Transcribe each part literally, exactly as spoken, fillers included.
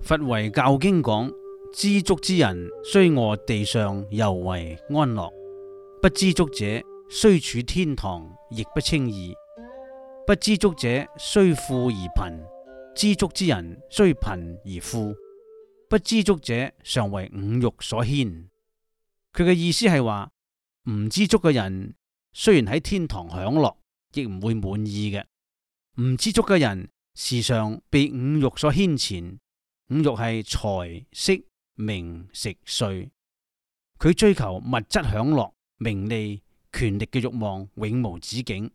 佛遺教經講：知足之人，雖臥地上，猶為安樂；不知足者，雖處天堂，亦不稱義。不知足者，雖富而貧；知足之人，雖貧而富。不知足者，常為五欲所牽。佢嘅意思係話，唔知足嘅人，雖然喺天堂享樂，亦唔會滿意嘅。唔知足嘅人，時常被五欲所牽纏。五欲係財色名食睡，佢追求物質享樂、名利、權力嘅慾望永無止境。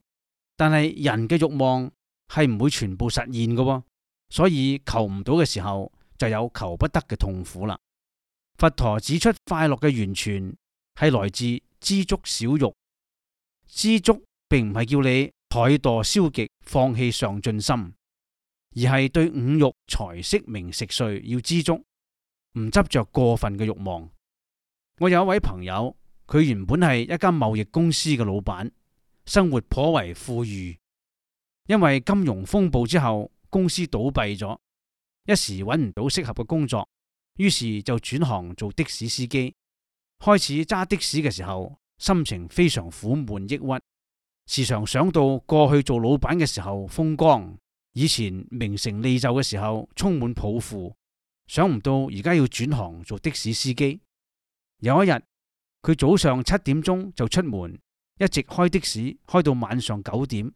但係人嘅慾望係唔會全部實現嘅，所以求唔到嘅時候就有求不得嘅痛苦啦。佛陀指出，快樂嘅源泉係來自知足少欲。知足並唔係叫你怠惰消極、放棄上進心，而係對五欲財色名食睡要知足，唔執着過分嘅慾望。我有一位朋友，佢原本係一間貿易公司嘅老闆，生活頗為富裕。因為金融風暴之後，公司倒閉咗，一時揾唔到適合嘅工作，於是就轉行做的士司機。開始揸的士嘅時候，心情非常苦悶抑鬱，時常想到過去做老闆嘅時候風光，以前名成利就嘅時候充滿抱負，想唔到而家要轉行做的士司機。有一日，佢早上七點鐘就出門，一直開的士開到晚上九點。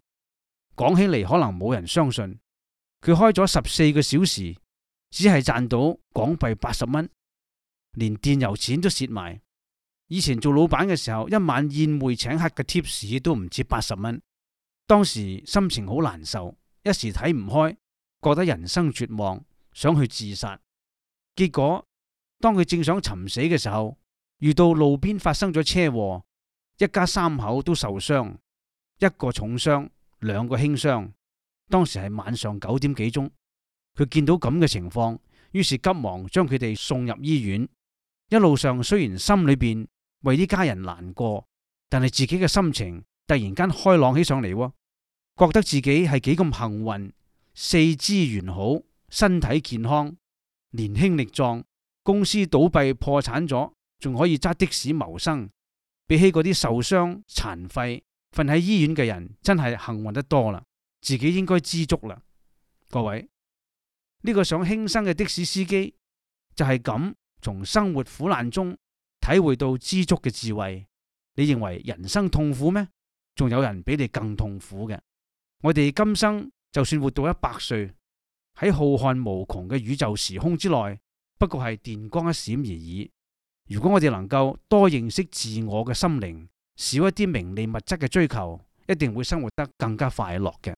講起嚟可能冇人相信，佢開咗十四個小時，只係賺到港幣八十蚊，連電油錢都蝕埋。以前做老闆嘅時候，一晚宴會請客嘅貼士都唔止八十蚊。當時心情好難受，一時睇唔開，覺得人生絕望，想去自殺。結果當佢正想尋死嘅時候，遇到路邊發生咗車禍，一家三口都受傷，一個重傷，兩個輕傷。當時係晚上九點幾鐘，佢見到咁嘅情況，於是急忙將佢哋送入醫院。一路上雖然心裏邊為呢家人難過，但係自己嘅心情突然間開朗起上嚟，覺得自己係幾咁幸運，四肢完好，身體健康，年輕力壯，公司倒閉破產咗，仲可以揸的士謀生。比起嗰啲受傷殘廢瞓喺醫院嘅人，真係幸運得多啦。自己應該知足啦。各位，呢個想輕生嘅的士司機就係咁從生活苦難中體會到知足嘅智慧。你認為人生痛苦咩？仲有人比你更痛苦嘅。我哋今生就算活到一百歲，喺浩瀚無窮嘅宇宙時空之內，不過係電光一閃而已。如果我哋能夠多認識自我嘅心靈，少一啲名利物質嘅追求，一定會生活得更加快樂嘅。